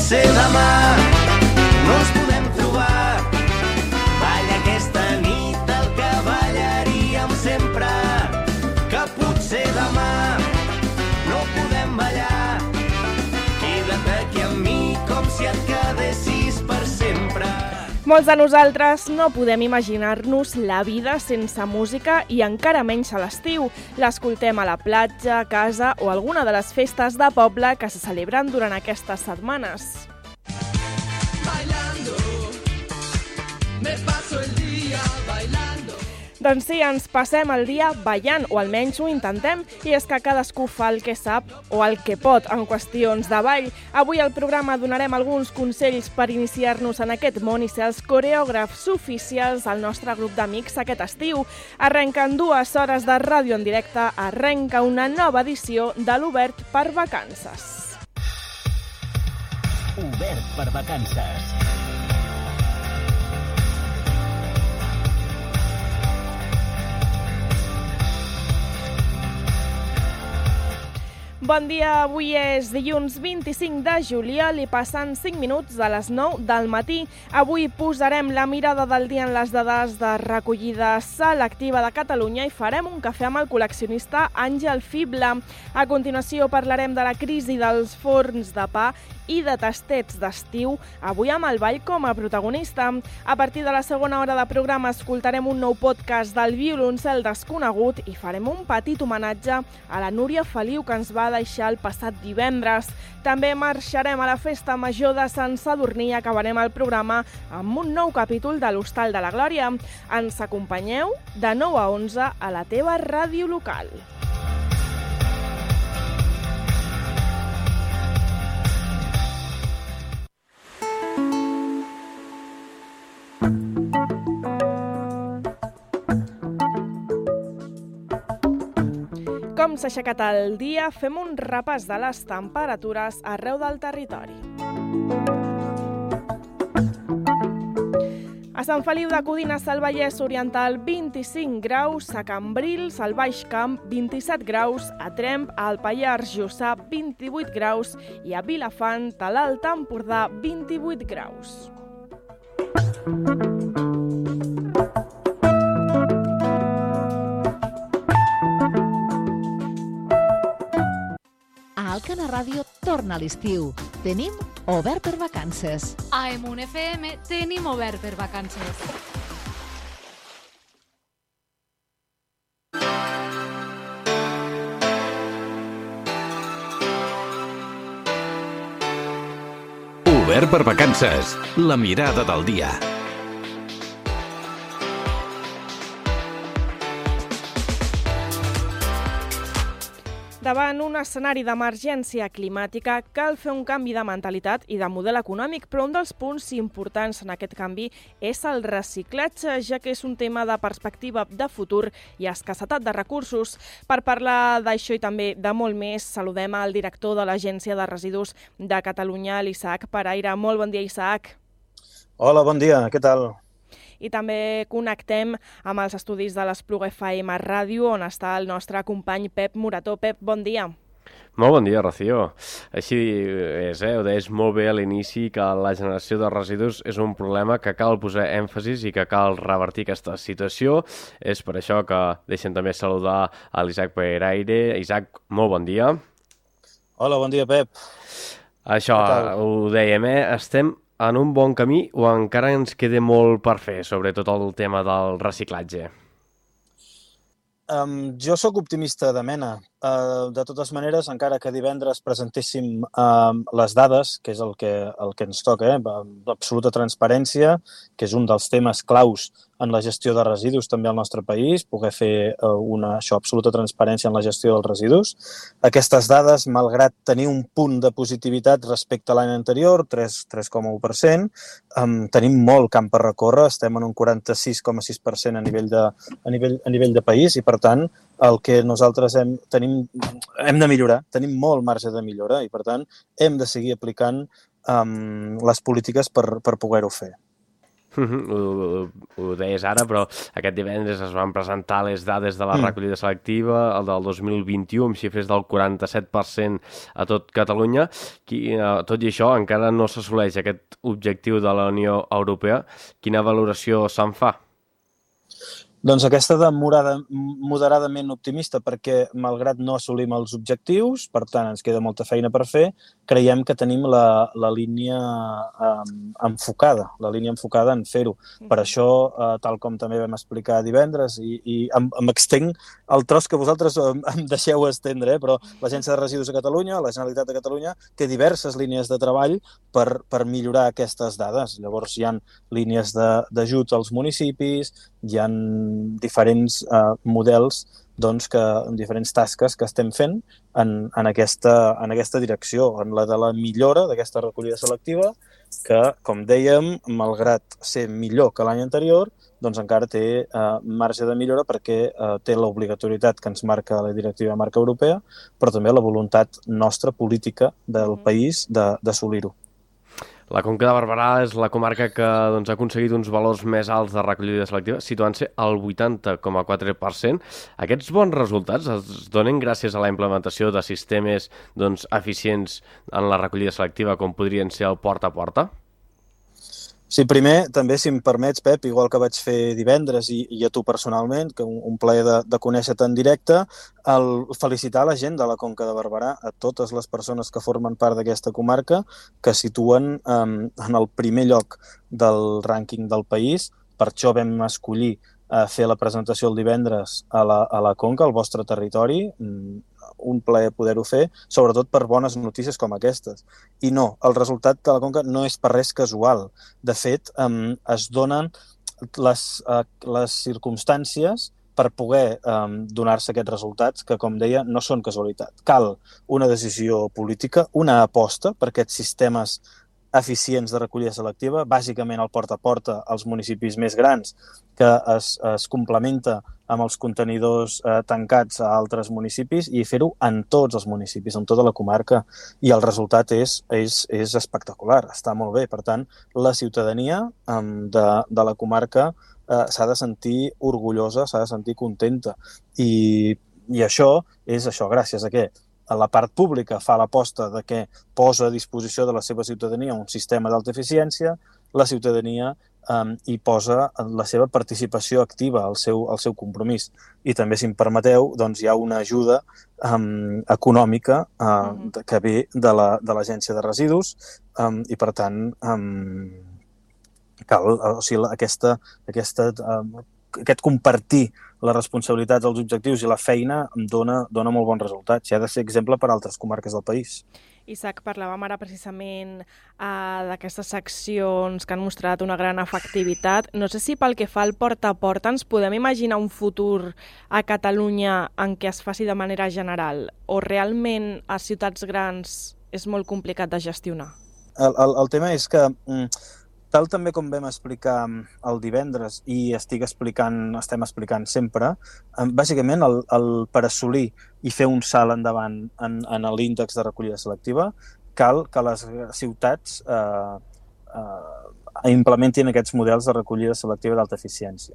potser demà no ens podem trobar. Balla aquesta nit el que ballaríem sempre, que potser demà no podem ballar. Queda't aquí amb mi com si et quedessis per sempre. Molts de nosaltres no podem imaginar-nos la vida sense música i encara menys a l'estiu. L'escoltem a la platja, a casa o alguna de les festes de poble que se celebren durant aquestes setmanes. Bailando, me paso el día bailando. Doncs sí, ens passem el dia ballant, o almenys ho intentem, i és que cadascú fa el que sap o el que pot en qüestions de ball. Avui al programa donarem alguns consells per iniciar-nos en aquest món i ser els coreògrafs oficials del nostre grup d'amics aquest estiu. Arrenquen 2 hores de ràdio en directe, arrenca una nova edició de l'Obert per Vacances. Obert per Vacances. Bon dia, avui és dilluns 25 de juliol i passen 5 minuts de les 9 del matí. Avui posarem la mirada del dia en les dades de recollida selectiva de Catalunya i farem un cafè amb el col·leccionista Àngel Fibla. A continuació parlarem de la crisi dels forns de pa i de tastets d'estiu, avui amb el ball com a protagonista. A partir de la segona hora de programa escoltarem un nou podcast del violoncel desconegut i farem un petit homenatge a la Núria Feliu que ens va deixar el passat divendres. També marxarem a la festa major de Sant Sadurní i acabarem el programa amb un nou capítol de l'Hostal de la Glòria. Ens acompanyeu de 9 a 11 a la teva ràdio local. Com s'ha aixecat el dia, fem un repàs de les temperatures arreu del territori. A Sant Feliu de Codines, al Vallès Oriental, 25 graus, a Cambrils, al Baix Camp, 27 graus, a Tremp, al Pallars Jussà, 28 graus i a Vilafant, a l'Alt Empordà, 28 graus. A Alcana Ràdio torna l'estiu. Tenim Obert per Vacances. A Emun FM tenim Obert per Vacances. Obert per Vacances, la mirada del dia. Davant un escenari d'emergència climàtica, cal fer un canvi de mentalitat i de model econòmic, però un dels punts importants en aquest canvi és el reciclatge, ja que és un tema de perspectiva de futur i escassetat de recursos. Per parlar d'això i també de molt més, saludem al director de l'Agència de Residus de Catalunya, l'Isaac Paraire. Molt bon dia, Isaac. Hola, bon dia, què tal? I també connectem amb els estudis de l'Espluga FM Ràdio, on està el nostre company Pep Morató. Pep, bon dia. Molt bon dia, Rocío. Així és, ho deies molt bé a l'inici, que la generació de residus és un problema que cal posar èmfasis i que cal revertir aquesta situació. És per això que deixem també saludar a l'Isaac Paraire. Isaac, molt bon dia. Hola, bon dia, Pep. Això, ho dèiem, estem en un bon camí o encara ens queda molt per fer, sobretot el tema del reciclatge? Jo sóc optimista de mena. De totes maneres, encara que divendres presentéssim les dades, que és el que ens toca, d'absoluta transparència, que és un dels temes claus en la gestió de residus també al nostre país, poder fer absoluta transparència en la gestió dels residus. Aquestes dades, malgrat tenir un punt de positivitat respecte a l'any anterior, 3,1%, tenim molt camp per recórrer, estem en un 46,6% a nivell de país i, per tant, el que nosaltres hem de millorar, tenim molt marge de millora i, per tant, hem de seguir aplicant les polítiques per poder-ho fer. Ho deies ara, però aquest divendres es van presentar les dades de la recollida selectiva, el del 2021, amb xifres del 47% a tot Catalunya. Tot i això, encara no s'assoleix aquest objectiu de la Unió Europea. Quina valoració se'n fa? Doncs aquesta de moderadament optimista, perquè malgrat no assolim els objectius, per tant ens queda molta feina per fer, creiem que tenim la línia enfocada en fer-ho. Per això, tal com també vam explicar divendres, i em extenc el tros que vosaltres em deixeu estendre, però l'Agència de Residus de Catalunya, la Generalitat de Catalunya, té diverses línies de treball per millorar aquestes dades. Llavors hi ha línies d'ajut als municipis, hi ha diferents models, doncs, diferents tasques que estem fent en aquesta direcció, en la de la millora d'aquesta recollida selectiva, que, com dèiem, malgrat ser millor que l'any anterior, doncs encara té marge de millora perquè té l'obligatorietat que ens marca la directiva marca europea, però també la voluntat nostra política del país d'assolir-ho. La Conca de Barberà és la comarca que ha aconseguit uns valors més alts de recollida selectiva, situant-se al 80,4%. Aquests bons resultats es donen gràcies a la implementació de sistemes eficients en la recollida selectiva, com podrien ser el porta a porta? Sí, primer, també, si em permets, Pep, igual que vaig fer divendres i a tu personalment, que un plaer de conèixer-te en directe, felicitar la gent de la Conca de Barberà, a totes les persones que formen part d'aquesta comarca, que situen en el primer lloc del rànquing del país. Per això vam escollir fer la presentació el divendres a la Conca, al vostre territori. Un plaer poder-ho fer, sobretot per bones notícies com aquestes. I no, el resultat de la Conca no és per res casual. De fet, es donen les circumstàncies per poder donar-se aquests resultats que, com deia, no són casualitat. Cal una decisió política, una aposta per aquests sistemes eficients de recollida selectiva, bàsicament el porta a porta als municipis més grans, que es complementa amb els contenidors tancats a altres municipis i fer-ho en tots els municipis, en tota la comarca. I el resultat és espectacular, està molt bé. Per tant, la ciutadania de la comarca s'ha de sentir orgullosa, s'ha de sentir contenta. I això és això, gràcies a què? La part pública fa l'aposta de que posa a disposició de la seva ciutadania un sistema d'alta eficiència, la ciutadania hi posa la seva participació activa, el seu compromís. I també, si em permeteu, doncs hi ha una ajuda econòmica que ve de l'Agència de Residus i, per tant, cal, o sigui, aquest compartir les responsabilitats, els objectius i la feina em dona molt bons resultats. I ha de ser exemple per a altres comarques del país. Isaac, parlàvem ara precisament d'aquestes seccions que han mostrat una gran efectivitat. No sé si pel que fa al porta a porta ens podem imaginar un futur a Catalunya en què es faci de manera general o realment a ciutats grans és molt complicat de gestionar? El tema és que tal també com vam explicar el divendres i estem explicant sempre, bàsicament per assolir i fer un salt endavant en l'índex de recollida selectiva, cal que les ciutats implementin aquests models de recollida selectiva d'alta eficiència.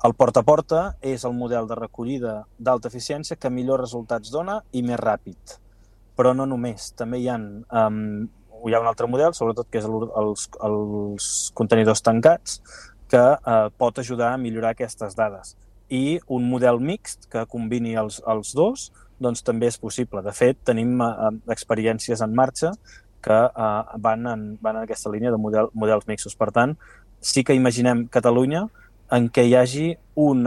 El porta a porta és el model de recollida d'alta eficiència que millors resultats dona i més ràpid. Però no només, també hi ha un altre model, sobretot que és els contenidors tancats, que pot ajudar a millorar aquestes dades. I un model mixt que combini els dos doncs també és possible. De fet, tenim experiències en marxa que van en aquesta línia de models mixtos. Per tant, sí que imaginem Catalunya en què hi hagi un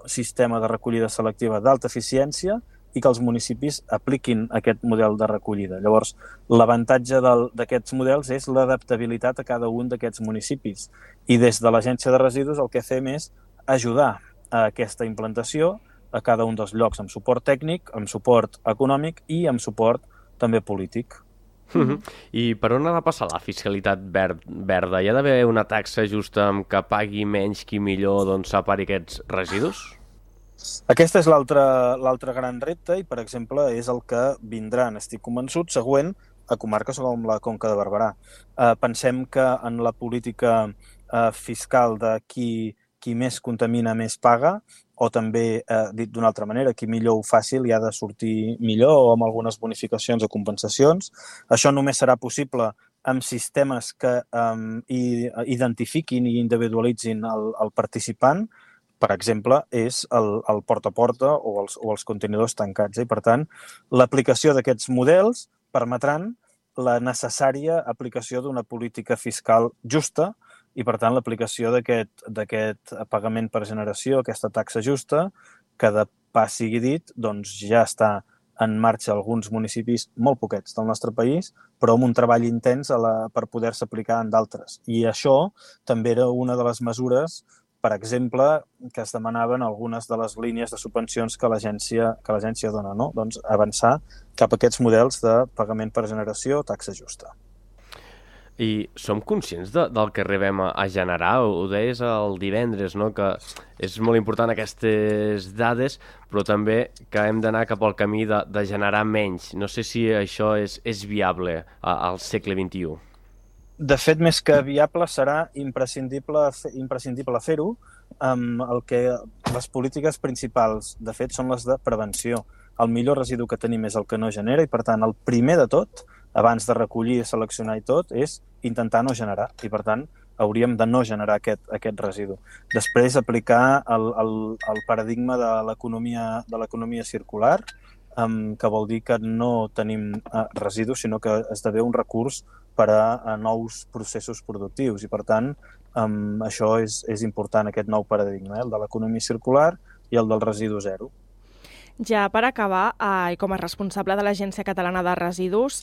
sistema de recollida selectiva d'alta eficiència i que els municipis apliquin aquest model de recollida. Llavors, l'avantatge d'aquests models és l'adaptabilitat a cada un d'aquests municipis. I des de l'Agència de Residus el que fem és ajudar a aquesta implantació a cada un dels llocs, amb suport tècnic, amb suport econòmic i amb suport també polític. I per on ha de passar la fiscalitat verda? Hi ha d'haver una taxa justa amb què pagui menys qui millor separi aquests residus? Aquest és l'altre gran repte i, per exemple, és el que vindrà, n'estic convençut, següent a comarques com la Conca de Barberà. Pensem que en la política fiscal de qui més contamina més paga, o també, dit d'una altra manera, qui millor ho faci li ha de sortir millor o amb algunes bonificacions o compensacions. Això només serà possible amb sistemes que identifiquin i individualitzin el participant. Per exemple, és el porta a porta o els contenidors tancats. I, per tant, l'aplicació d'aquests models permetran la necessària aplicació d'una política fiscal justa i, per tant, l'aplicació d'aquest pagament per generació, aquesta taxa justa, que de pas sigui dit, doncs ja està en marxa alguns municipis, molt poquets del nostre país, però amb un treball intens per poder-se aplicar en d'altres. I això també era una de les mesures, per exemple, que es demanaven algunes de les línies de subvencions que l'agència dona, no? Doncs avançar cap a aquests models de pagament per generació, taxa justa. I som conscients del que arribem a generar? Ho deies el divendres, no? Que és molt important aquestes dades, però també que hem d'anar cap al camí de generar menys. No sé si això és viable al segle XXI. De fet, més que viable, serà imprescindible fer-ho. El que les polítiques principals, de fet, són les de prevenció. El millor residu que tenim és el que no genera i, per tant, el primer de tot, abans de recollir, seleccionar i tot, és intentar no generar. I, per tant, hauríem de no generar aquest residu. Després, aplicar el paradigma de l'economia circular, que vol dir que no tenim residus, sinó que esdevé un recurs per a nous processos productius. I, per tant, això és important, aquest nou paradigma, el de l'economia circular i el del residu zero. Ja per acabar, i com a responsable de l'Agència Catalana de Residus,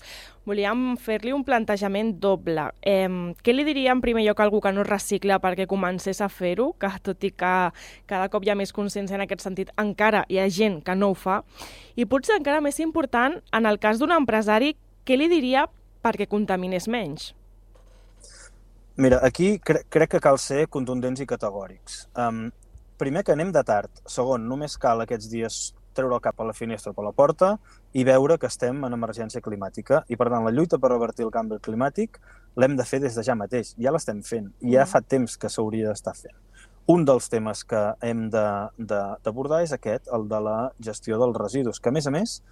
volíem fer-li un plantejament doble. Què li diria en primer lloc a algú que no recicla perquè comencés a fer-ho, que tot i que cada cop hi ha més consciència en aquest sentit, encara hi ha gent que no ho fa? I potser encara més important, en el cas d'un empresari, què li diria perquè contaminés menys? Mira, aquí crec que cal ser contundents i categòrics. Primer, que anem de tard. Segon, només cal aquests dies treure el cap a la finestra o per la porta i veure que estem en emergència climàtica. I, per tant, la lluita per revertir el canvi climàtic l'hem de fer des de ja mateix. Ja l'estem fent. I ja fa temps que s'hauria d'estar fent. Un dels temes que hem d'abordar és aquest, el de la gestió dels residus, que, a més,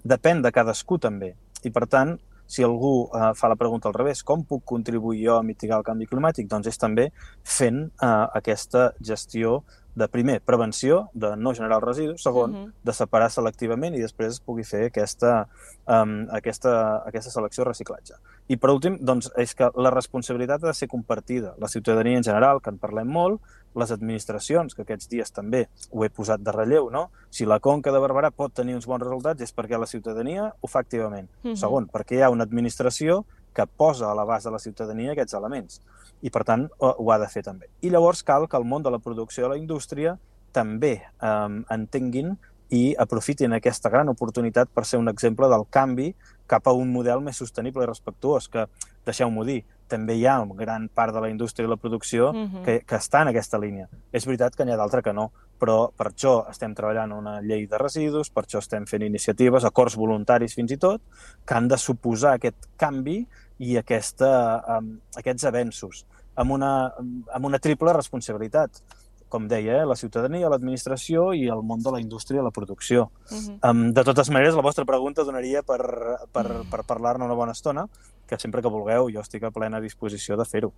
depèn de cadascú també. I, per tant, si algú fa la pregunta al revés, com puc contribuir jo a mitigar el canvi climàtic? Doncs és també fent aquesta gestió de, primer, prevenció, de no generar els residus, segon, de separar selectivament i després es pugui fer aquesta selecció i reciclatge. I, per últim, doncs, és que la responsabilitat ha de ser compartida. La ciutadania en general, que en parlem molt, les administracions, que aquests dies també ho he posat de relleu, no? Si la Conca de Barberà pot tenir uns bons resultats és perquè la ciutadania ho fa activament. Segon, perquè hi ha una administració que posa a l'abast de la ciutadania aquests elements i, per tant, ho ha de fer també. I llavors cal que el món de la producció i la indústria també entenguin i aprofitin aquesta gran oportunitat per ser un exemple del canvi cap a un model més sostenible i respectuós, que, deixeu-m'ho dir, també hi ha una gran part de la indústria i la producció que està en aquesta línia. És veritat que n'hi ha d'altra que no, però per això estem treballant una llei de residus, per això estem fent iniciatives, acords voluntaris fins i tot, que han de suposar aquest canvi i aquests avenços, amb una triple responsabilitat. Com deia, la ciutadania, l'administració i el món de la indústria i la producció. De totes maneres, la vostra pregunta donaria per parlar-ne una bona estona, que sempre que vulgueu jo estic a plena disposició de fer-ho.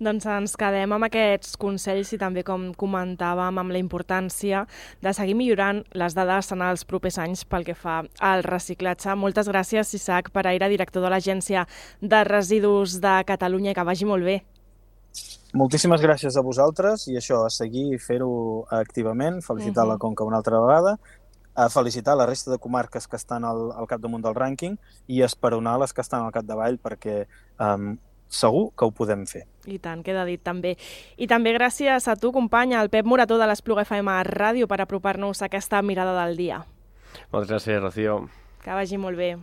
Doncs ens quedem amb aquests consells i també, com comentàvem, amb la importància de seguir millorant les dades en els propers anys pel que fa al reciclatge. Moltes gràcies, Isaac Paraire, director de l'Agència de Residus de Catalunya, i que vagi molt bé. Moltíssimes gràcies a vosaltres i això, a seguir i fer-ho activament, felicitar la Conca una altra vegada, a felicitar la resta de comarques que estan al capdamunt del rànquing i esperonar les que estan al capdavall perquè segur que ho podem fer. I tant, queda dit també. I també gràcies a tu, companya, el Pep Morató de l'Espluga FM Ràdio, per apropar-nos a aquesta mirada del dia. Moltes gràcies, Rocío. Que vagi molt bé.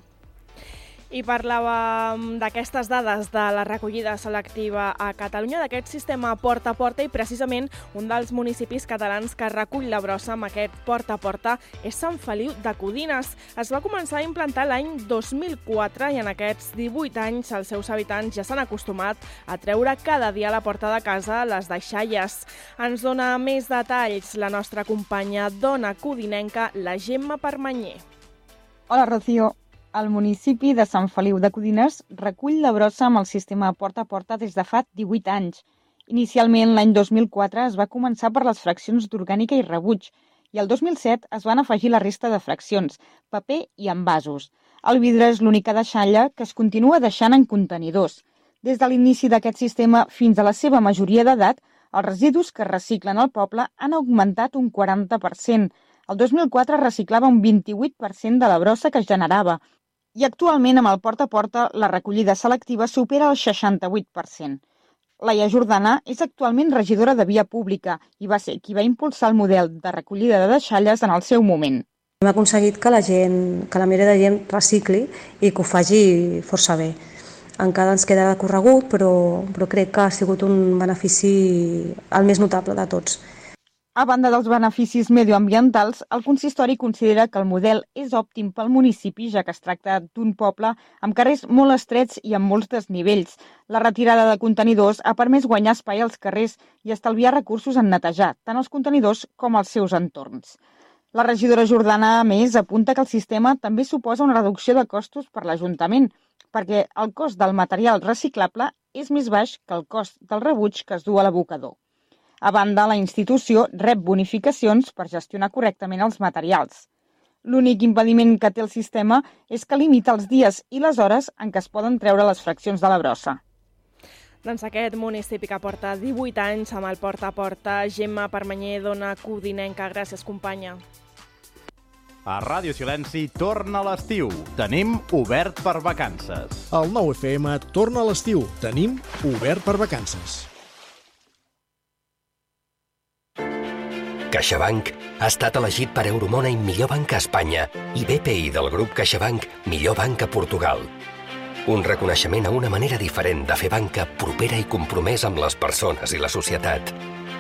I parlàvem d'aquestes dades de la recollida selectiva a Catalunya, d'aquest sistema porta a porta, i precisament un dels municipis catalans que recull la brossa amb aquest porta a porta és Sant Feliu de Codines. Es va començar a implantar l'any 2004 i en aquests 18 anys els seus habitants ja s'han acostumat a treure cada dia a la porta de casa les deixalles. Ens dona més detalls la nostra companya dona codinenca, la Gemma Permanyer. Hola, Rocío. El municipi de Sant Feliu de Codines recull la brossa amb el sistema porta a porta des de fa 18 anys. Inicialment, l'any 2004, es va començar per les fraccions d'orgànica i rebuig, i el 2007 es van afegir la resta de fraccions, paper i envasos. El vidre és l'única deixalla que es continua deixant en contenidors. Des de l'inici d'aquest sistema fins a la seva majoria d'edat, els residus que es reciclen al poble han augmentat un 40%. El 2004 reciclava un 28% de la brossa que es generava, i actualment amb el porta a porta la recollida selectiva supera el 68%. Laia Jordana és actualment regidora de Via Pública i va ser qui va impulsar el model de recollida de deixalles en el seu moment. Hem aconseguit que la majoria de gent recicli i que ho faci força bé. Encara ens queda corregut, però crec que ha sigut un benefici el més notable de tots. A banda dels beneficis medioambientals, el consistori considera que el model és òptim pel municipi, ja que es tracta d'un poble amb carrers molt estrets i amb molts desnivells. La retirada de contenidors ha permès guanyar espai als carrers i estalviar recursos en netejar, tant els contenidors com els seus entorns. La regidora Jordana, a més, apunta que el sistema també suposa una reducció de costos per l'Ajuntament, perquè el cost del material reciclable és més baix que el cost del rebuig que es du a l'abocador. A banda, la institució rep bonificacions per gestionar correctament els materials. L'únic impediment que té el sistema és que limita els dies i les hores en què es poden treure les fraccions de la brossa. Doncs aquest municipi que porta 18 anys amb el porta a porta. Gemma Permanyer, dona codinenca. Gràcies, companya. A Ràdio Silenci torna l'estiu. Tenim obert per vacances. El 9FM torna a l'estiu. Tenim obert per vacances. CaixaBank ha estat elegit per Euromoney millor banc a Espanya i BPI del grup CaixaBank millor banc a Portugal. Un reconeixement a una manera diferent de fer banca propera i compromès amb les persones i la societat.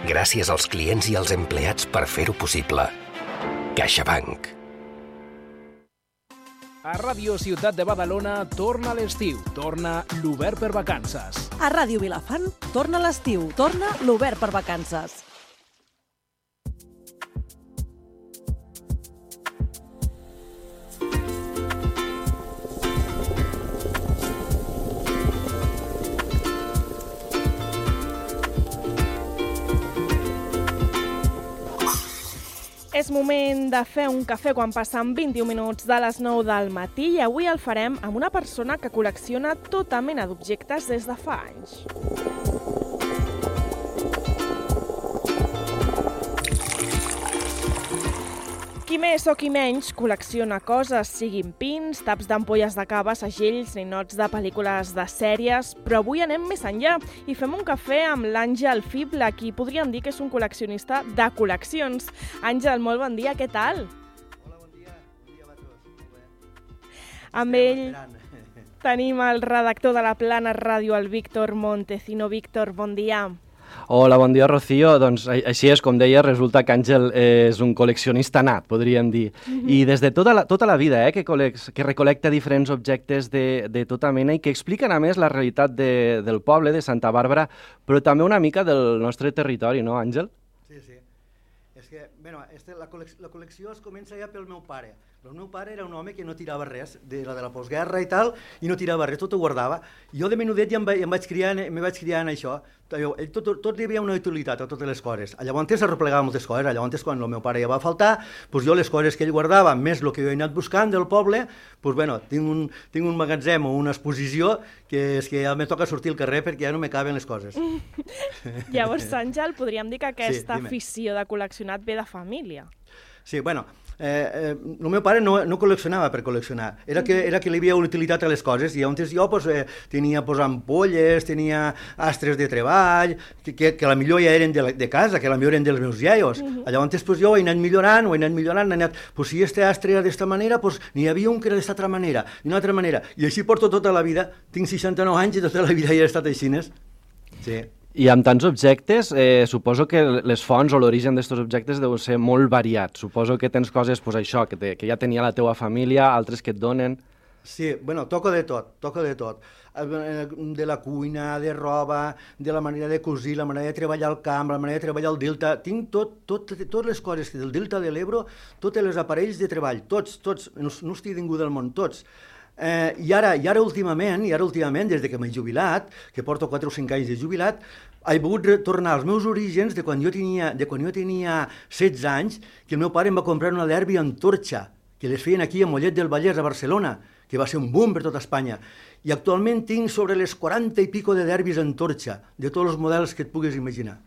Gràcies als clients i als empleats per fer-ho possible. CaixaBank. A Ràdio Ciutat de Badalona torna l'estiu, torna l'Obert per Vacances. A Ràdio Vilafant torna l'estiu, torna l'Obert per Vacances. És moment de fer un cafè quan passen 21 minuts de les 9 del matí i avui el farem amb una persona que col·lecciona tota mena d'objectes des de fa anys. Qui més o qui menys col·lecciona coses, siguin pins, taps d'ampolles de cava, segells, ninots de pel·lícules de sèries, però avui anem més enllà i fem un cafè amb l'Àngel Fible, qui podríem dir que és un col·leccionista de col·leccions. Àngel, molt bon dia, què tal? Hola, bon dia a tots. Molt bé. Amb ell tenim el redactor de la Plana Ràdio, el Víctor Montecino. Víctor, bon dia. Hola, bon dia, Rocío. Doncs així és, com deia, resulta que Àngel és un col·leccionista nat, podríem dir. I des de tota la vida, que recol·lecta diferents objectes de tota mena i que expliquen, a més, la realitat del poble, de Santa Bàrbara, però també una mica del nostre territori, no, Àngel? Sí. És que, la col·lecció es comença ja pel meu pare. El meu pare era un home que no tirava res, de la postguerra i tal, i no tirava res, tot ho guardava. Jo de menudet ja me vaig criar en això. Tot hi havia una utilitat a totes les coses. Llavors arreplegava moltes coses. Llavors, quan el meu pare ja va faltar, jo les coses que ell guardava, més el que jo he anat buscant del poble, tinc un magatzem o una exposició que és que ja me toca sortir al carrer perquè ja no me caben les coses. Llavors, Àngel, podríem dir que aquesta afició de col·leccionar ve de família. Sí, El meu pare no col·leccionava per col·leccionar, era que li havia utilitat a les coses, i llavors jo tenia ampolles, tenia astres de treball, que la millor ja eren de casa, que la millor eren dels meus iaios. Llavors jo ho he anat millorant, si este astre era d'esta manera, n'hi havia un que era d'esta altra manera, d'una altra manera, i així porto tota la vida, tinc 69 anys i tota la vida ja he estat així. Sí. I amb tants objectes, suposo que les fonts o l'origen d'aquests objectes deu ser molt variat. Suposo que tens coses, això, que ja tenia la teua família, altres que et donen... Sí, bueno, toco de tot. De la cuina, de roba, de la manera de cosir, la manera de treballar al camp, la manera de treballar al delta. Tinc totes les coses del delta de l'Ebro, tots els aparells de treball, tots, no estic ningú del món, tots. I ara últimament, des que m'he jubilat, que porto 4 o 5 anys de jubilat, he pogut retornar als meus orígens de quan jo tenia 16 anys, que el meu pare em va comprar una derbi Antorcha, que les feien aquí a Mollet del Vallès, a Barcelona, que va ser un boom per tota Espanya. I actualment tinc sobre les 40 i pico de derbis Antorcha, de tots els models que et puguis imaginar.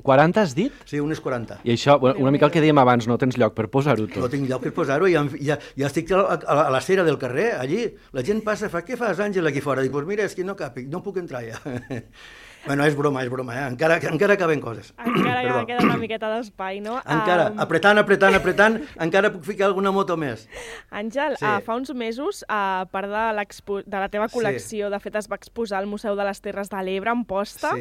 40 has dit? Sí, unes 40. I això, una mica el que dèiem abans, no tens lloc per posar-ho tot. No tinc lloc per posar-ho, ja estic a la cera del carrer, allí. La gent passa, fa, què fas, Àngel, aquí fora? Dic, doncs mira, és que no puc entrar ja. Bueno, és broma, encara caben coses. Encara queda una miqueta d'espai, no? Encara, apretant, encara puc ficar alguna moto més. Àngel, fa uns mesos, a part de la teva col·lecció, de fet es va exposar al Museu de les Terres de l'Ebre, a Amposta,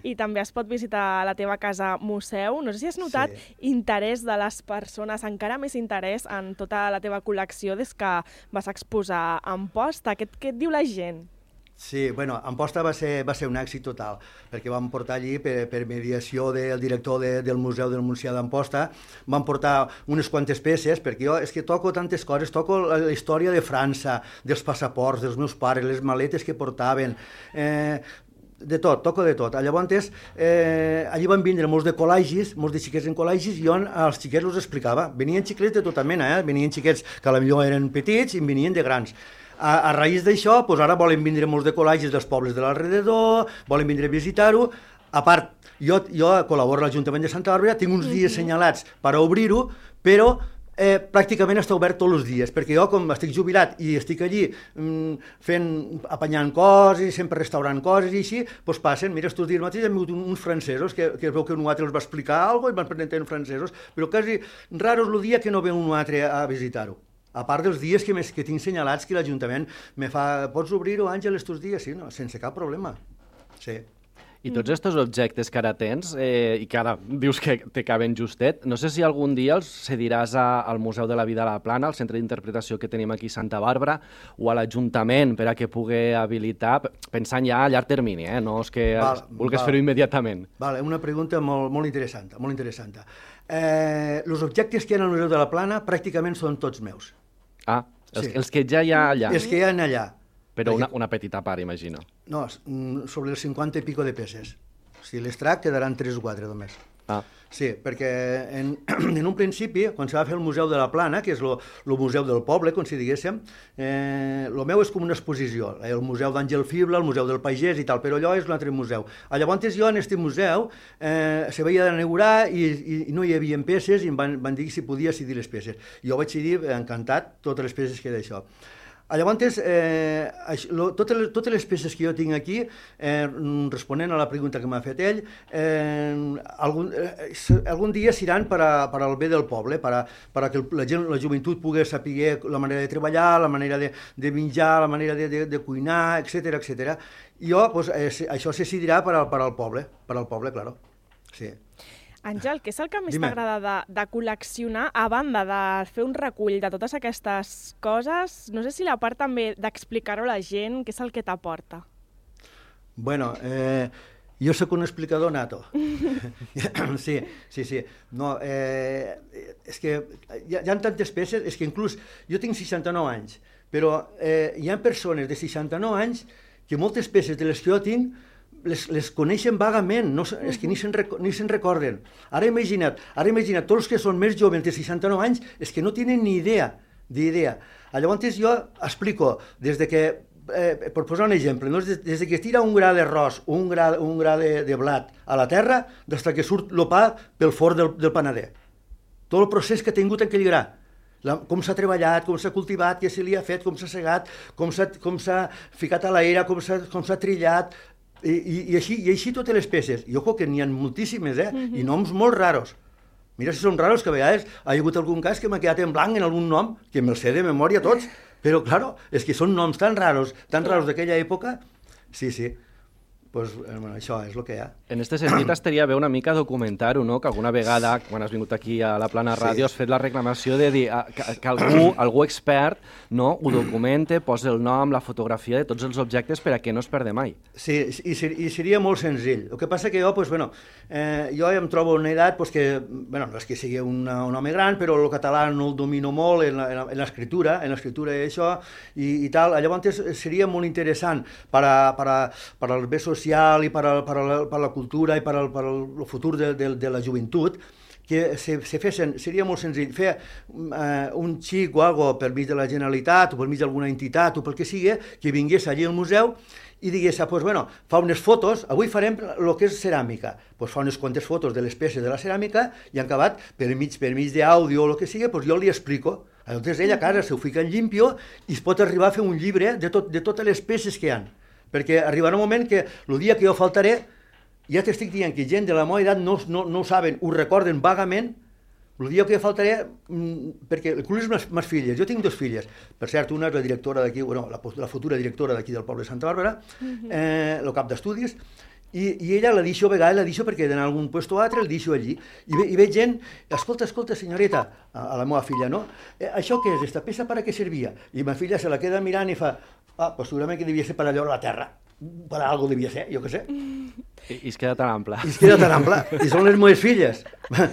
i també es pot visitar la teva casa museu. No sé si has notat interès de les persones, encara més interès en tota la teva col·lecció des que vas exposar a Amposta. Què et diu la gent? Sí, bueno, Amposta va ser un èxit total, perquè vam portar allí, per mediació del director del Museu del Montsià d'Amposta, vam portar unes quantes peces, perquè jo és que toco tantes coses, toco la història de França, dels passaports, dels meus pares, les maletes que portaven, de tot, toco de tot. Llavors, allí van vindre molts de col·legis, molts de xiquets en col·legis, i jo als xiquets els explicava. Venien xiquets de tota mena, venien xiquets que potser eren petits i venien de grans. A raïs d'això, ara volen vindre molts de col·legis dels pobles de l'alrededor, volen vindre a visitar-ho. A part, jo col·laboro a l'Ajuntament de Santa Bàrbara, tinc uns dies assenyalats per a obrir-ho, però pràcticament està obert tots els dies, perquè jo, com estic jubilat i estic allí apanyant coses, sempre restaurant coses i així, doncs passen. Mira, estos dies mateix hem vingut uns francesos que es veu que un altre els va explicar alguna cosa i van presentar uns francesos, però quasi raro és el dia que no ve un altre a visitar-ho. A part dels dies que tinc senyalats que l'Ajuntament me fa, pots obrir-ho, Àngel, estos dies? Sí, no, sense cap problema. Sí. I tots aquests objectes que ara tens, i que ara dius que te caben justet, no sé si algun dia els cediràs al Museu de la Vida a la Plana, al centre d'interpretació que tenim aquí a Santa Bàrbara, o a l'Ajuntament per a que pugui habilitar, pensant ja a llarg termini, no és que vulguis fer-ho immediatament. Una pregunta molt interessant, molt interessant. Els objectes que hi ha al Museu de la Plana pràcticament són tots meus. Els que ja hi ha allà. Els que hi ha allà. Però una petita part, imagino. No, sobre els 50 i pico de peces. Si les trac, quedaran 3 o 4 només. Sí, perquè en un principi, quan se va fer el Museu de la Plana, que és el museu del poble, com si diguéssim, el meu és com una exposició, el Museu d'Àngel Fibla, el Museu del Pagès i tal, però allò és un altre museu. Llavors jo en aquest museu se veia d'inaugurar i no hi havia peces i em van dir si podia cedir les peces. Jo vaig cedir encantat totes les peces que era això. Llavors, totes les peces que jo tinc aquí, responent a la pregunta que m'ha fet ell, algun dia seran per al bé del poble, per a que la joventut pugui saber la manera de treballar, la manera de menjar, la manera de cuinar, etc. Jo, això se decidirà per al poble, claro. Sí. Àngel, què és el que més t'agrada de col·leccionar, a banda de fer un recull de totes aquestes coses? No sé si la part també d'explicar-ho a la gent, què és el que t'aporta? Bueno, jo sóc un explicador nato. Sí. No, és que hi ha tantes peces, és que inclús jo tinc 69 anys, però hi ha persones de 69 anys que moltes peces de les que jo tinc les coneixen vagament, és que ni se'n recorden. Ara imagina't, tots els que són més joves de 69 anys és que no tenen ni idea. Llavors jo explico, des de que, per posar un exemple, des que tira un gra d'arròs o un gra de blat a la terra, des que surt el pa pel forn del panader. tot el procés que ha tingut en aquell gra. Com s'ha treballat, com s'ha cultivat, què se li ha fet, com s'ha segat, com s'ha ficat a l'aire, com s'ha trillat, i així totes les peces. I ojo que n'hi ha moltíssimes, i noms molt raros. Mira si són raros, que a vegades ha hagut algun cas que m'ha quedat en blanc en algun nom, que me'l sé de memòria tots, però, claro, és que són noms tan raros d'aquella època. Sí, pues, això és el que hi ha. En aquest sentit, estaria bé una mica documentar-ho, no? Que alguna vegada, quan has vingut aquí a la Plana Ràdio, has fet la reclamació de dir que algú expert, no, ho documente, posa el nom, la fotografia de tots els objectes per a que no es perde mai. Sí, i seria molt senzill. El que passa que jo, pues, jo em trobo en una edat que, no és que sigui un home gran, però el català no el domino molt en l'escriptura i això, i tal. Llavors seria molt interessant per al bé social i per a la cultura i per al futur de la joventut, que se fessin, seria molt senzill, fer un xic o alguna cosa per mig de la Generalitat o per mig d'alguna entitat o pel que sigui, que vingués allí al museu i digués, fa unes fotos, avui farem el que és ceràmica, fa unes quantes fotos de les peces de la ceràmica i en acabat, per mig d'àudio o el que sigui, jo li explico. Llavors ell a casa s'ho fica en llimpio i es pot arribar a fer un llibre de totes les peces que hi ha. Perquè arribarà un moment que el dia que jo faltaré, ja t'estic dient que gent de la meva edat no ho saben, ho recorden vagament, el dia que jo faltaré, perquè el club és mes filles, jo tinc 2 filles, per cert, una és la directora d'aquí, la futura directora d'aquí del poble de Santa Bàrbara, el cap d'estudis, i ella la deixo a vegades, perquè d'anar a algun lloc o altre el deixo allí, i veig gent, escolta, senyoreta, a la meva filla, no? Això què és, esta peça per a què servia? I ma filla se la queda mirant i fa, pues segurament que devia ser per allò a la terra, per a alguna cosa devia ser, jo què sé. I es queda tan ample. I són les meves filles,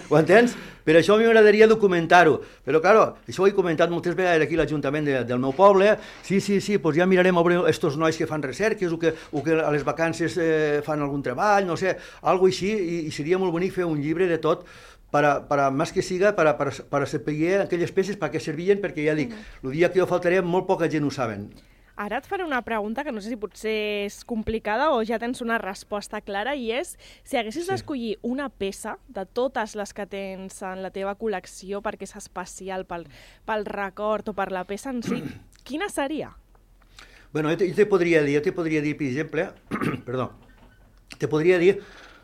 ho entens? Per això a mi m'agradaria documentar-ho, però, clar, això ho he comentat moltes vegades aquí a l'Ajuntament del meu poble, sí, doncs ja mirarem a veure estos nois que fan recerques o que a les vacances fan algun treball, no sé, alguna cosa així, i seria molt bonic fer un llibre de tot, més que siga, per a saber aquelles peces per què servien, perquè ja dic, el dia que jo faltaré molt poca gent ho saben. Ara et faré una pregunta que no sé si potser és complicada o ja tens una resposta clara, i és, si haguessis d'escollir una peça de totes les que tens en la teva col·lecció perquè és especial pel record o per la peça en si, quina seria? Bueno, jo te podria dir, per exemple, te podria dir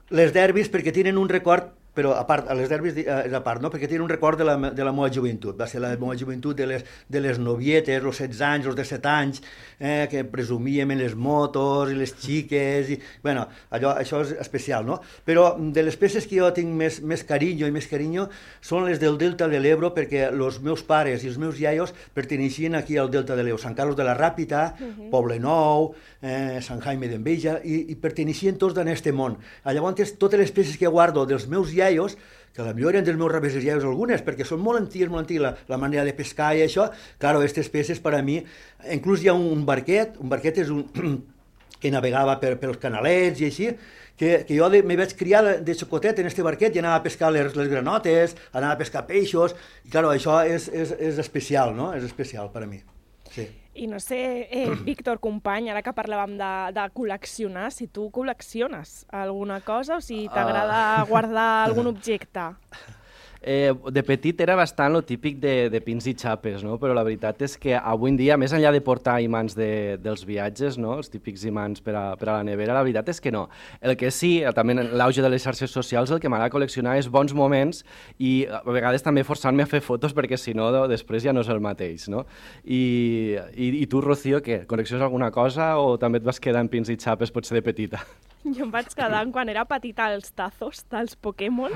les derbis perquè tenen un record, però a part, a les derbis és a part, no? Perquè tenen un record de la meva joventut. Va ser la meva joventut de les novietes, els 16 anys, els 17 anys, que presumíem en les motos i les xiques, i, bueno, això és especial, no? Però de les peces que jo tinc més carinyo són les del Delta de l'Ebro, perquè els meus pares i els meus iaios perteneixien aquí al Delta de l'Ebro, Sant Carlos de la Ràpita, Poble Nou, Sant Jaime d'Enveja, i perteneixien tots en aquest món. Llavors, totes les peces que guardo dels meus iaios, que potser eren dels meus rebesers iaios algunes, perquè són molt antigues, la manera de pescar i això, claro, aquestes peces per a mi, inclús hi ha un barquet és un que navegava pels canalets i així, que jo me vaig criar de xocotet en este barquet i anava a pescar les granotes, anava a pescar peixos, i claro, això és especial, no? És especial per a mi, sí. I no sé, Víctor, company, ara que parlàvem de col·leccionar, si tu col·lecciones alguna cosa o si t'agrada guardar algun objecte. De petit era bastant lo típic de pins i xapes, no? Però la veritat és que avui en dia, més enllà de portar imants dels viatges, no? Els típics imants per a la nevera, la veritat és que no. El que sí, també en l'auge de les xarxes socials, el que m'agrada col·leccionar és bons moments i a vegades també forçant-me a fer fotos perquè si no després ja no és el mateix, no? I tu, Rocío, què? Col·lecciones alguna cosa o també et vas quedar en pins i xapes potser de petita? Jo em vaig quedar quan era petita els tazos dels Pokémon.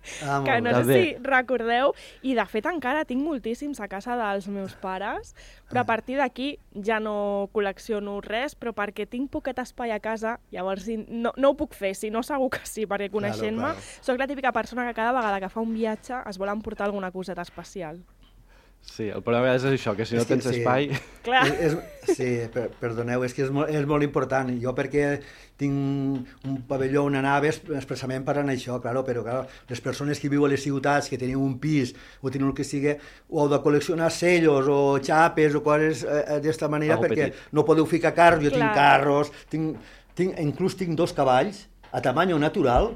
Que no sé si recordeu, i de fet encara tinc moltíssims a casa dels meus pares, però a partir d'aquí ja no col·lecciono res, però perquè tinc poquet espai a casa, llavors no ho puc fer, si no segur que sí, perquè coneixent-me, soc la típica persona que cada vegada que fa un viatge es vol emportar alguna coseta especial. Sí, el problema és això, que si no tens espai... Clar. Sí, perdoneu, és que és molt important. Jo perquè tinc un pavelló on anava expressament per anar això, però les persones que viuen a les ciutats, que teniu un pis o teniu el que sigui, o heu de col·leccionar sellos o xapes o coses d'esta manera, perquè no podeu ficar carros, jo tinc carros, inclús tinc 2 cavalls a tamany natural,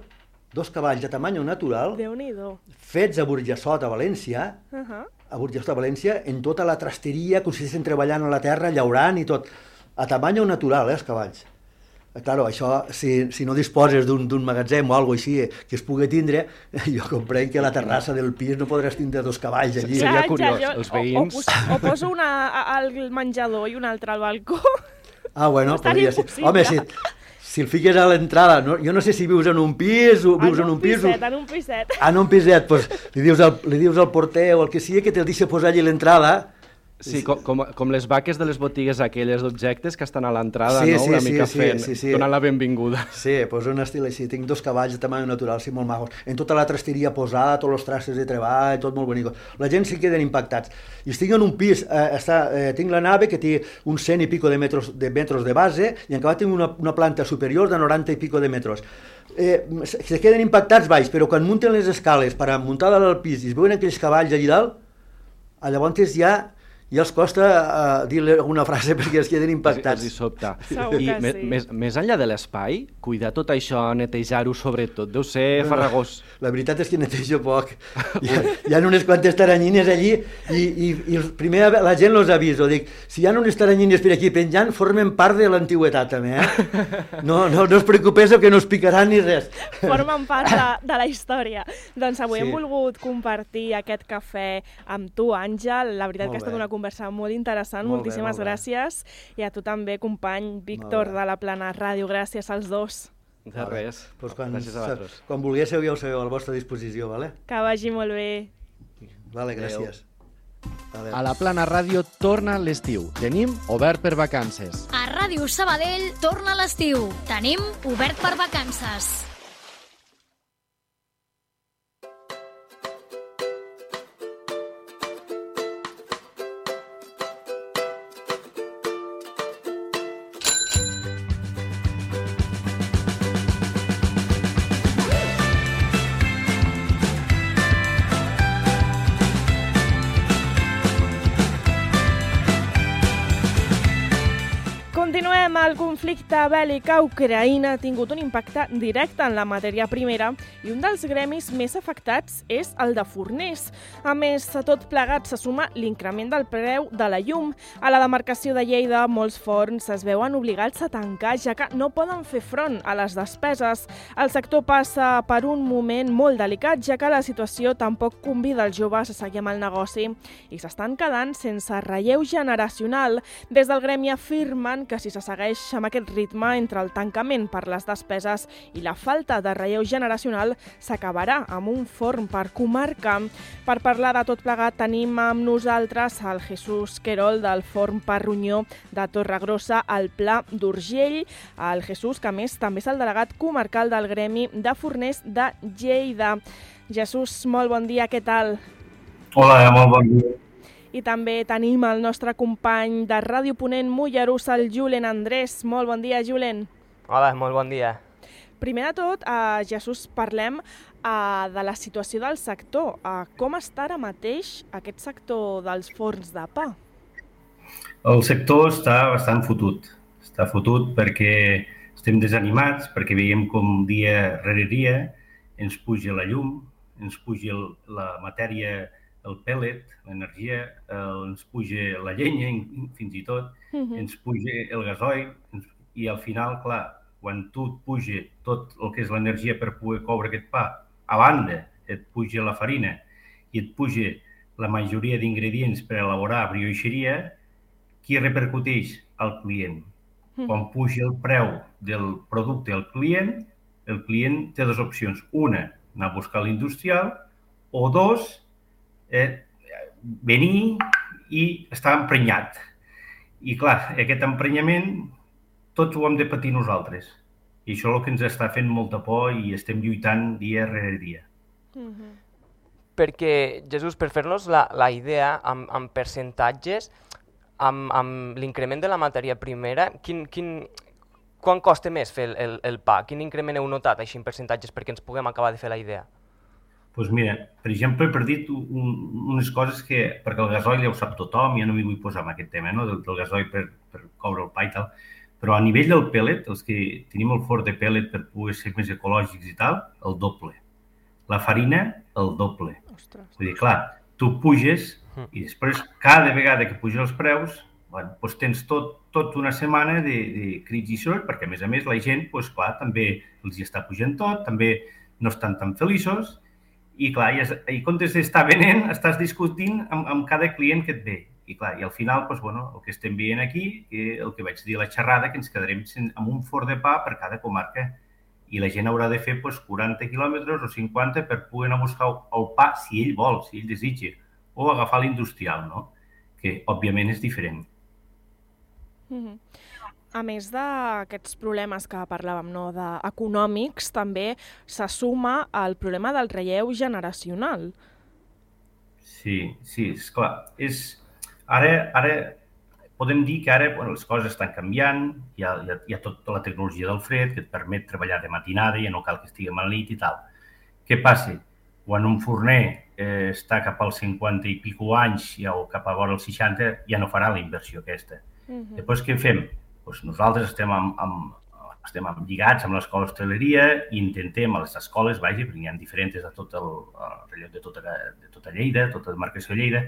2 cavalls de tamany natural, Déu-n'hi-do. fets a Burjassot, a València, a Burjassot, a València, en tota la trasteria, com si estiguessin treballant a la terra, llaurant i tot. A tamany natural, els cavalls. Claro, això, si no disposes d'un magatzem o alguna cosa així que es pugui tindre, jo comprenc que a la terrassa del pis no podràs tindre 2 cavalls allí. Seria curiós, els veïns... O poso una al menjador i una altra al balcó. Ah, bueno, podria ser. Home, si el fiques a l'entrada, no? Jo no sé si vius en un pis o vius en un pis... En un piset. En un piset, doncs li dius al porter o el que sigui que te'l deixa posar allí a l'entrada. Sí, com les vaques de les botigues aquelles d'objectes que estan a l'entrada, no? Una mica fent, donant la benvinguda. Sí, doncs un estil així. Tinc 2 cavalls de tamany natural, sí, molt macos. En tota la trasteria posada, tots els trastos de treball, tot molt bonic. La gent s'hi queden impactats. I estic en un pis, tinc la nave que té uns 100 i pico de metros de base i en acabat tinc una planta superior de 90 i pico de metros. Se queden impactats baix, però quan munten les escales per muntar dalt al pis i es veuen aquells cavalls allà dalt, llavors ja els costa dir-li alguna frase perquè es queden impactats. Els hi sobta. I més enllà de l'espai, cuidar tot això, netejar-ho sobretot, deu ser farragós. La veritat és que netejo poc. Hi ha unes quantes taranyines allí i primer la gent els aviso. Dic, si hi ha unes taranyines per aquí penjant, formen part de l'antigüetat també, No us preocupeu que no us picaran ni res. Formen part de la història. Doncs avui hem volgut compartir aquest cafè amb tu, Àngel. La veritat que ha estat una conversa molt interessant, moltíssimes gràcies. I a tu també, company Víctor de la Plana Ràdio, gràcies als dos. De res, gràcies a vosaltres. Quan volguéssiu ja ho sabeu, a la vostra disposició, vale? Que vagi molt bé. Vale, gràcies. A la Plana Ràdio torna l'estiu. Tenim obert per vacances. A Ràdio Sabadell torna l'estiu. Tenim obert per vacances. Continuem. El conflicte bèl·lic a Ucraïna ha tingut un impacte directe en la matèria primera i un dels gremis més afectats és el de forners. A més, a tot plegat se suma l'increment del preu de la llum. A la demarcació de Lleida, molts forns es veuen obligats a tancar, ja que no poden fer front a les despeses. El sector passa per un moment molt delicat, ja que la situació tampoc convida els joves a seguir amb el negoci i s'estan quedant sense relleu generacional. Des del gremi afirmen que si se segueix amb aquest ritme entre el tancament per les despeses i la falta de relleu generacional, s'acabarà amb un forn per comarca. Per parlar de tot plegat tenim amb nosaltres el Jesús Querol del forn per Ronyó de Torregrossa al Pla d'Urgell. El Jesús, que a més també és el delegat comarcal del gremi de forners de Lleida. Jesús, molt bon dia, què tal? Hola, molt bon dia. I també tenim el nostre company de Ràdio Ponent Mollerussa, el Julen Andrés. Molt bon dia, Julen. Hola, molt bon dia. Primer de tot, Jesús, parlem de la situació del sector. Com està ara mateix aquest sector dels forns de pa? El sector està bastant fotut. Està fotut perquè estem desanimats, perquè veiem com dia rere dia ens puja la llum, ens puja la matèria, el pèl·let, l'energia, ens puja la llenya, fins i tot, ens puja el gasoil, i al final, clar, quan tu et puja tot el que és l'energia per poder coure aquest pa, a banda et puja la farina i et puja la majoria d'ingredients per elaborar brioixeria, qui repercuteix? El client. Quan puja el preu del producte al client, el client té dues opcions. Una, anar a buscar l'industrial, o dos, venir i estar emprenyat. I clar, aquest emprenyament tots ho hem de patir nosaltres. I això és el que ens està fent molta por i estem lluitant dia rere dia. Perquè, Jesús, per fer-nos la idea amb percentatges, amb l'increment de la matèria primera, quan costa més fer el pa? Quin increment heu notat així en percentatges perquè ens puguem acabar de fer la idea? Doncs mira, per exemple, he perdut unes coses que, perquè el gasoil ja ho sap tothom, ja no m'hi vull posar en aquest tema, no? Del gasoil per coure el pa i tal, Però a nivell del pellet, els que tenim el forn de pellet per poder ser més ecològics i tal, el doble. La farina, el doble. Vull dir, clar, tu puges i després cada vegada que puges els preus, doncs tens tot una setmana de crits i soroll, perquè a més la gent, clar, també els hi està pujant tot, també no estan tan feliços, i clar, i en comptes d'estar venent, estàs discutint amb cada client que et ve. I clar, i al final, el que estem veient aquí, el que vaig dir a la xerrada, que ens quedarem amb un forn de pa per cada comarca. I la gent haurà de fer 40 quilòmetres o 50 per poder anar a buscar el pa si ell vol, si ell desitja, o agafar l'industrial, no? Que, òbviament, és diferent. A més d'aquests problemes que parlàvem, econòmics, també se suma el problema del relleu generacional. Sí, esclar. Ara podem dir que ara les coses estan canviant, hi ha tota la tecnologia del fred que et permet treballar de matinada, ja no cal que estigui a la nit i tal. Què passa? Quan un forner està cap als 50 i pico anys o cap a vora els 60, ja no farà la inversió aquesta. Després què fem? Nosaltres estem lligats amb l'escola d'hostaleria i intentem a les escoles, perquè n'hi ha diferents de tot el relleu de tota Lleida, tota la demarcació de Lleida,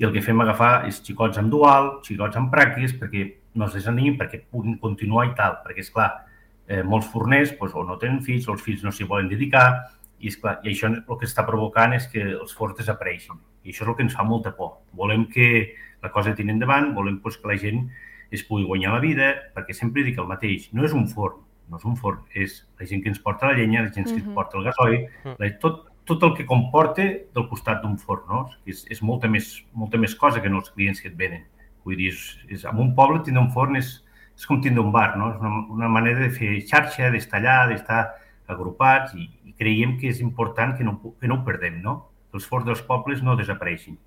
i el que fem agafar és xicots amb dual, xicots amb pràctiques, perquè no es desanimin, perquè puguin continuar i tal. Perquè, esclar, molts forners o no tenen fills, o els fills no s'hi volen dedicar, i això el que està provocant és que els forns desapareixin. I això és el que ens fa molta por. Volem que la cosa tiri endavant, volem que la gent es pugui guanyar la vida, perquè sempre dic el mateix, no és un forn, és la gent que ens porta la llenya, la gent que ens porta el gasoil, tot el que comporta del costat d'un forn, no? És molta més cosa que no els clients que et venen. Vull dir, en un poble tindre un forn és com tindre un bar, no? És una manera de fer xarxa, d'estar allà, d'estar agrupats, i creiem que és important que no ho perdem, no? Que els forns dels pobles no desapareixin.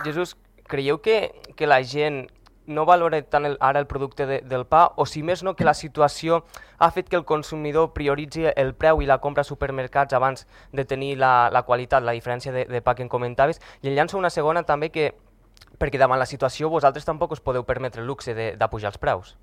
Jesús, creieu que la gent no valora tant ara el producte del pa, o si més no que la situació ha fet que el consumidor prioritzi el preu i la compra a supermercats abans de tenir la qualitat, la diferència de pa que em comentaves? I en llanço una segona també, perquè davant la situació vosaltres tampoc us podeu permetre el luxe d'apujar els preus.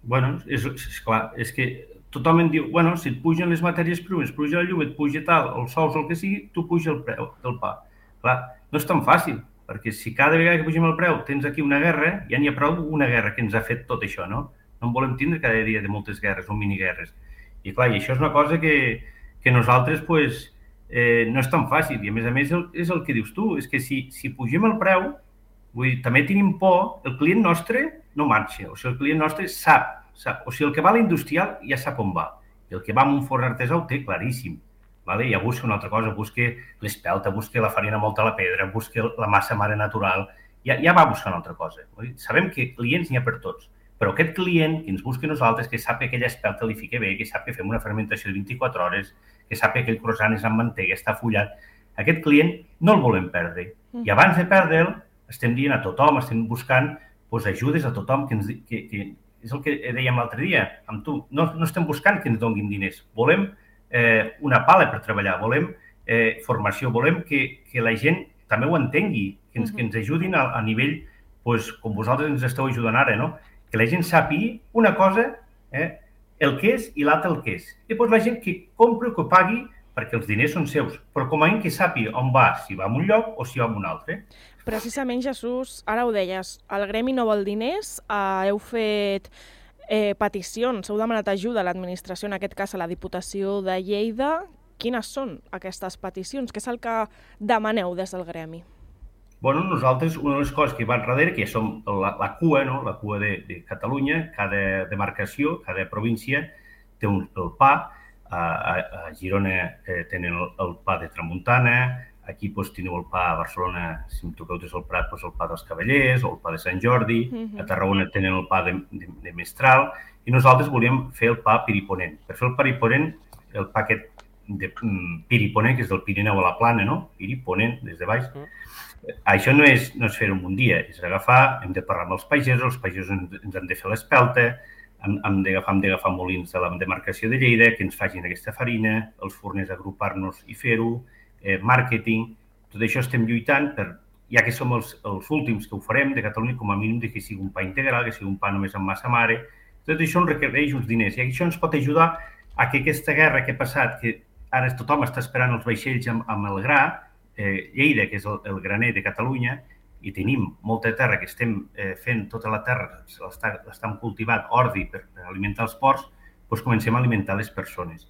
Bueno, és clar, és que tothom em diu, si et pugen les matèries primeres, puja la llum, et puja tal, els sous, el que sigui, tu puja el preu del pa. Clar, no és tan fàcil, perquè si cada vegada que pugem el preu tens aquí una guerra, ja n'hi ha prou una guerra que ens ha fet tot això, no? No en volem tindre cada dia de moltes guerres o miniguerres. I clar, i això és una cosa que nosaltres no és tan fàcil. I a més és el que dius tu, és que si pugem el preu, també tenim por, el client nostre no marxa, o sigui, el client nostre sap, o sigui, el que va a l'industrial ja sap on va, i el que va a un forn artesà ho té claríssim. Ja busca una altra cosa, busca l'espelta, busca la farina molta a la pedra, busca la massa mare natural, ja va buscar una altra cosa. Sabem que clients n'hi ha per tots, però aquest client que ens busca nosaltres, que sap que aquella espelta li fica bé, que sap que fem una fermentació de 24 hores, que sap que aquell croissant és amb mantega, està fullat, aquest client no el volem perdre. I abans de perdre'l, estem dient a tothom, estem buscant ajudes a tothom, que és el que dèiem l'altre dia amb tu, no estem buscant que ens donguin diners, volem una pala per treballar, volem formació, volem que la gent també ho entengui, que ens ajudin a nivell, com vosaltres ens esteu ajudant ara, no? Que la gent sàpigui una cosa, el que és i l'altre el que és. I la gent que compri o que pagui, perquè els diners són seus, però com a mínim que sàpiga on va, si va a un lloc o si va a un altre. Precisament, Jesús, ara ho deies, el gremi no vol diners, heu fet peticions, heu demanat ajuda a l'administració, en aquest cas a la Diputació de Lleida. Quines són aquestes peticions? Què és el que demaneu des del gremi? Nosaltres, una de les coses que va enrere, que som la cua, la cua de Catalunya, cada demarcació, cada província té el pa. A Girona tenen el pa de Tramuntana, aquí teniu el pa a Barcelona, si em toqueu des del Prat, el pa dels Cavallers o el pa de Sant Jordi, a Tarragona tenen el pa de Mestral, i nosaltres volíem fer el pa piriponent. Per fer el piriponent, el pa aquest de piriponent, que és del Pirineu a la Plana, no? Piriponent, des de baix. Això no és fer-ho en un dia, és agafar, hem de parlar amb els pagesos ens han de fer l'espelta, hem d'agafar molins de la demarcació de Lleida, que ens facin aquesta farina, els forners agrupar-nos i fer-ho, màrqueting, tot això estem lluitant per ja que som els últims que ho farem de Catalunya, com a mínim que sigui un pa integral, que sigui un pa només amb massa mare. Tot això ens requereix uns diners i això ens pot ajudar a que aquesta guerra que ha passat, que ara tothom està esperant els vaixells amb el gra, Lleida, que és el graner de Catalunya, i tenim molta terra que estem fent, tota la terra l'estem cultivant, ordi per alimentar els porcs, doncs comencem a alimentar les persones.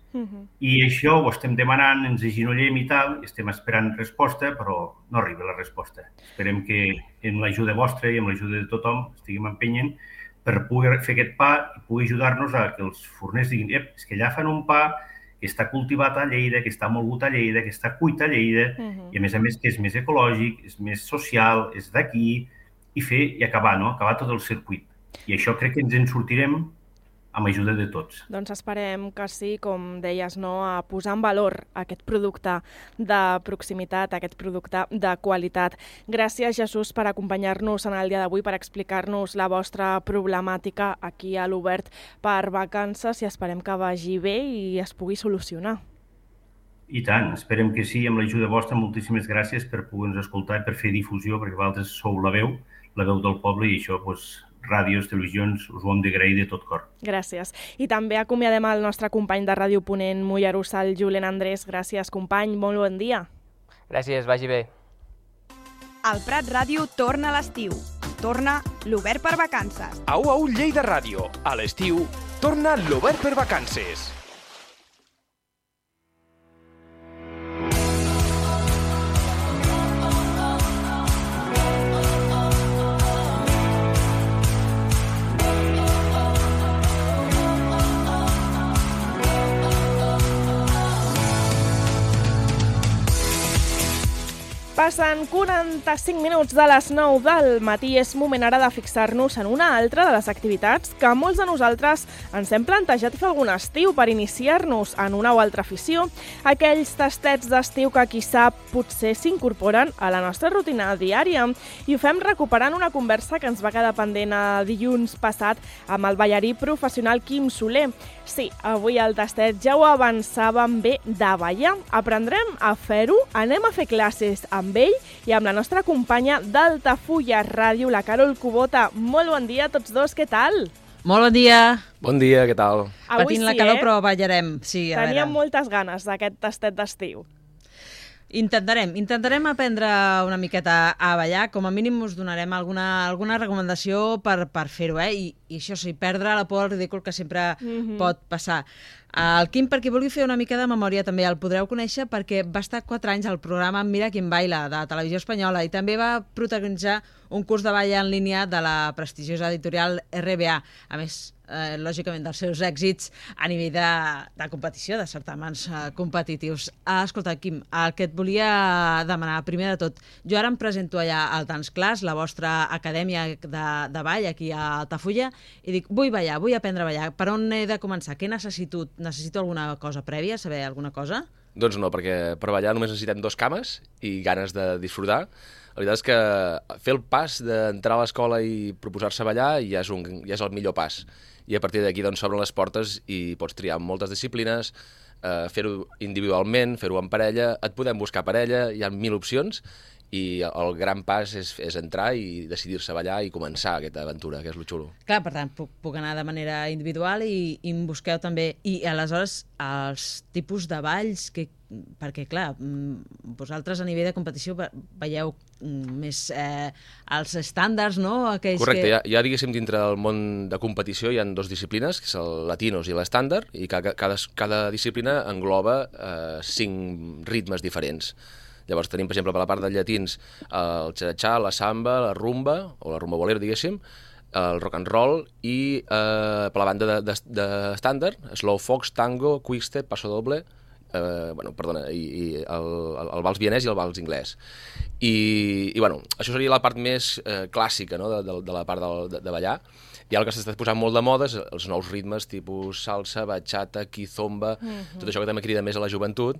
I això ho estem demanant, ens agenollem i tal, estem esperant resposta, però no arriba la resposta. Esperem que amb l'ajuda vostra i amb l'ajuda de tothom estiguem empenyent per poder fer aquest pa i poder ajudar-nos a que els forners diguin és que allà fan un pa que està cultivat a Lleida, que està molgut a Lleida, que està cuit a Lleida, i a més que és més ecològic, és més social, és d'aquí, i acabar tot el circuit. I això crec que ens en sortirem amb ajuda de tots. Doncs esperem que sí, com deies, a posar en valor aquest producte de proximitat, aquest producte de qualitat. Gràcies, Jesús, per acompanyar-nos en el dia d'avui, per explicar-nos la vostra problemàtica aquí a l'Obert per Vacances i esperem que vagi bé i es pugui solucionar. I tant, esperem que sí, amb l'ajuda vostra. Moltíssimes gràcies per poder-nos escoltar i per fer difusió, perquè vosaltres sou la veu del poble i això, ràdios, televisions, us ho hem d'agrair de tot cor. Gràcies. I també acomiadem el nostre company de Ràdio Ponent, Mollerussa, el Julen Andrés. Gràcies, company. Molt bon dia. Gràcies, vagi bé. El Prat Ràdio torna a l'estiu. Torna l'Obert per Vacances. Au, Lleida Ràdio. A l'estiu torna l'Obert per Vacances. Passen 45 minuts de les 9 del matí. És moment ara de fixar-nos en una altra de les activitats que molts de nosaltres ens hem plantejat fer algun estiu per iniciar-nos en una o altra afició. Aquells tastets d'estiu que, qui sap, potser s'incorporen a la nostra rutina diària. I ho fem recuperant una conversa que ens va quedar pendent dilluns passat amb el ballarí professional Quim Soler. Sí, avui el tastet ja ho avançàvem bé de ballar. Aprendrem a fer-ho, anem a fer classes amb ell i amb la nostra companya d'Altafulla Ràdio, la Carol Kubota. Molt bon dia a tots dos, què tal? Molt bon dia. Bon dia, què tal? Patint la calor, però ballarem. Sí, teníem moltes ganes d'aquest tastet d'estiu. Intentarem aprendre una miqueta a ballar, com a mínim us donarem alguna recomanació per fer-ho, I això sí, perdre la por al ridícul que sempre pot passar. El Quim, per qui vulgui fer una mica de memòria, també el podreu conèixer perquè va estar 4 anys al programa Mira Quien Baila, de Televisió Espanyola, i també va protagonitzar un curs de ball en línia de la prestigiosa editorial RBA. A més, lògicament, dels seus èxits a nivell de competició, de certàmens competitius. Escolta, Quim, el que et volia demanar, primer de tot, jo ara em presento allà al Dance Class, la vostra acadèmia de ball aquí a Altafulla, i dic, vull ballar, vull aprendre a ballar. Per on he de començar? Què necessito? Necessito alguna cosa prèvia, saber alguna cosa? Doncs no, perquè per ballar només necessitem 2 cames i ganes de disfrutar. La veritat és que fer el pas d'entrar a l'escola i proposar-se ballar ja és el millor pas. I a partir d'aquí s'obren les portes i pots triar moltes disciplines, fer-ho individualment, fer-ho en parella, et podem buscar parella, hi ha 1000 opcions, i el gran pas és entrar i decidir-se a ballar i començar aquesta aventura, que és lo xulo. Clar, per tant, puc anar de manera individual i em busqueu també. I aleshores, els tipus de balls, perquè clar, vosaltres a nivell de competició veieu més els estàndards, no? Correcte, ja diguéssim, dintre del món de competició hi ha 2 disciplines, que és el latinos i l'estàndard, i cada disciplina engloba 5 ritmes diferents. Llavors tenim, per exemple, per la part dels llatins, el cha-cha-cha, la samba, la rumba, o la rumba bolera, diguéssim, el rock and roll, i per la banda d'estàndard, slow fox, tango, quickstep, paso doble, i el vals vienès i el vals anglès. I això seria la part més clàssica, no?, de la part de ballar. I el que s'està posant molt de moda és els nous ritmes, tipus salsa, bachata, kizomba, tot això que també crida més a la joventut,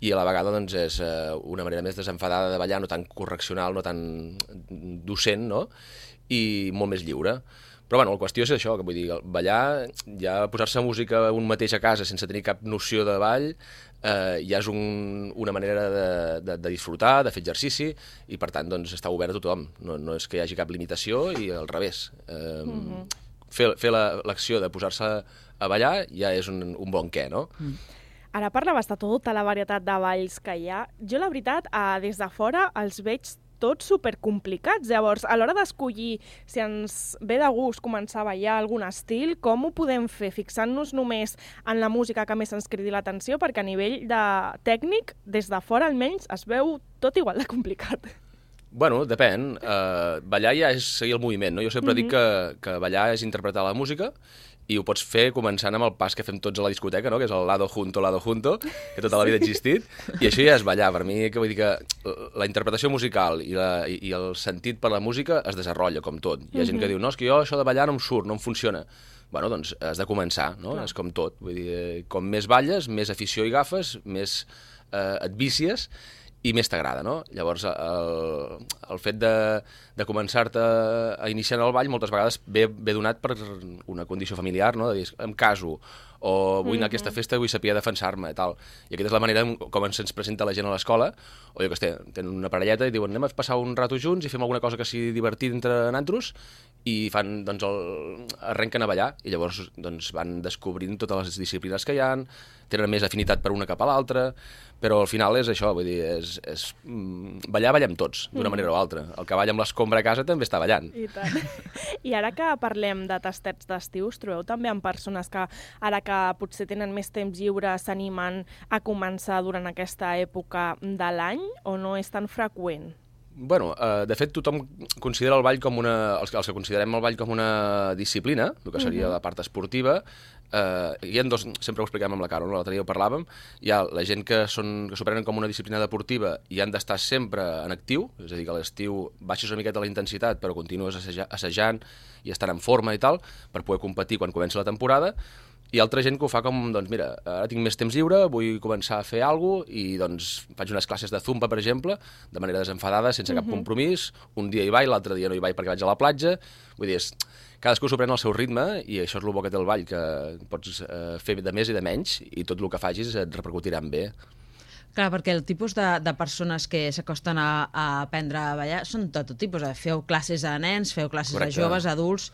i a la vegada és una manera més desenfadada de ballar, no tan correccional, no tan docent, no?, i molt més lliure. Però bueno, la qüestió és això, que vull dir, ballar, ja posar-se música un mateix a casa sense tenir cap noció de ball, ja és una manera de disfrutar, de fer exercici, i per tant doncs, està obert a tothom. No és que hi hagi cap limitació, i al revés. Fer l'acció de posar-se a ballar ja és un bon què, no? Ara parlaves de tota la varietat de balls que hi ha. Jo, la veritat, des de fora els veig tots supercomplicats. Llavors, a l'hora d'escollir si ens ve de gust començar a ballar algun estil, com ho podem fer? Fixant-nos només en la música que més ens cridi l'atenció, perquè a nivell de tècnic, des de fora almenys, es veu tot igual de complicat. Bueno, depèn. Ballar ja és seguir el moviment, no? Jo sempre dic que ballar és interpretar la música, i ho pots fer començant amb el pas que fem tots a la discoteca, no? Que és el lado junto, que tota la vida ha existit, i això ja és ballar. Per mi, que vull dir que la interpretació musical i el sentit per la música es desenvolupa, com tot. Hi ha gent que diu, no, és que jo això de ballar no em surt, no em funciona. Bueno, doncs has de començar, no? És com tot. Vull dir, com més balles, més afició hi agafes, més et vicies, i més t'agrada, no? Llavors, el fet de començar-te a iniciar en el ball moltes vegades ve donat per una condició familiar, no? De dir, em caso, o vull anar a aquesta festa i vull saber defensar-me, i tal. I aquesta és la manera com se'ns presenta la gent a l'escola, o jo que sé, tenen una parelleta i diuen, anem a passar un rato junts i fem alguna cosa que sigui divertit entre nantros, i fan, doncs, arrenquen a ballar, i llavors doncs, van descobrint totes les disciplines que hi ha, tenen més afinitat per una cap a l'altra, però al final és això, vull dir, ballar ballem tots, d'una manera o altra. El que balla amb l'escombra a casa també està ballant. I tant. I ara que parlem de tastets d'estiu, us trobeu també amb persones que, ara que potser tenen més temps lliure, s'animen a començar durant aquesta època de l'any, o no és tan freqüent? Bueno, de fet, tothom considera el ball com els que considerem el ball com una disciplina, el que seria la part esportiva. Hi ha dos, sempre ho expliquem amb la Carol, l'altre dia ho parlàvem, hi ha la gent que s'ho prenen com una disciplina deportiva i han d'estar sempre en actiu, és a dir, que a l'estiu baixes una miqueta la intensitat però continues assajant i estant en forma i tal, per poder competir quan comença la temporada. I altra gent que ho fa com, doncs mira, ara tinc més temps lliure, vull començar a fer alguna cosa, i doncs faig unes classes de zumba, per exemple, de manera desenfadada, sense cap compromís, un dia hi vaig, l'altre dia no hi vaig perquè vaig a la platja, vull dir, cadascú s'ho pren al seu ritme, i això és el bo que té el ball, que pots fer de més i de menys, i tot el que facis et repercutirà en bé. Clar, perquè el tipus de persones que s'acosten a aprendre a ballar són de tot tipus. Feu classes de nens, feu classes de joves, adults.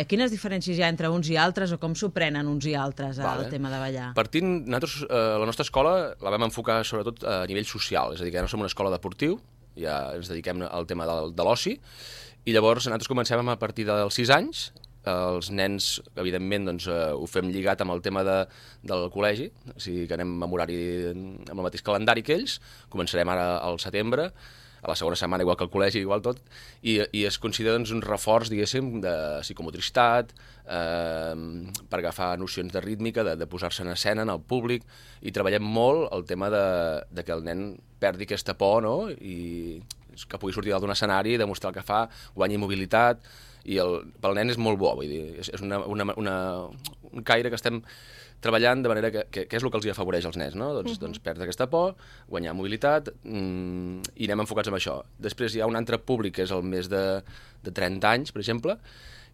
Quines diferències hi ha entre uns i altres, o com s'ho prenen uns i altres al tema de ballar? Partint, nosaltres, la nostra escola la vam enfocar sobretot a nivell social, és a dir, que ja no som una escola deportiu, ja ens dediquem al tema de l'oci, i llavors nosaltres comencem a partir dels 6 anys. Els nens, evidentment, doncs, ho fem lligat amb el tema del col·legi, o sigui que anem amb horari, amb el mateix calendari que ells, començarem ara al setembre, a la segona setmana igual que el col·legi, igual tot, i es considera doncs, un reforç, diguéssim, de psicomotricitat, per agafar nocions de rítmica, de posar-se en escena, en el públic, i treballem molt el tema de que el nen perdi aquesta por, no?, i que pugui sortir d'un escenari, demostrar el que fa, guanyi mobilitat, i pel nen és molt bo, vull dir, és un caire que estem treballant de manera que és el que els afavoreix als nens, no? Doncs perdre aquesta por, guanyar mobilitat, i anem enfocats en això. Després hi ha un altre públic, que és el més de 30 anys, per exemple,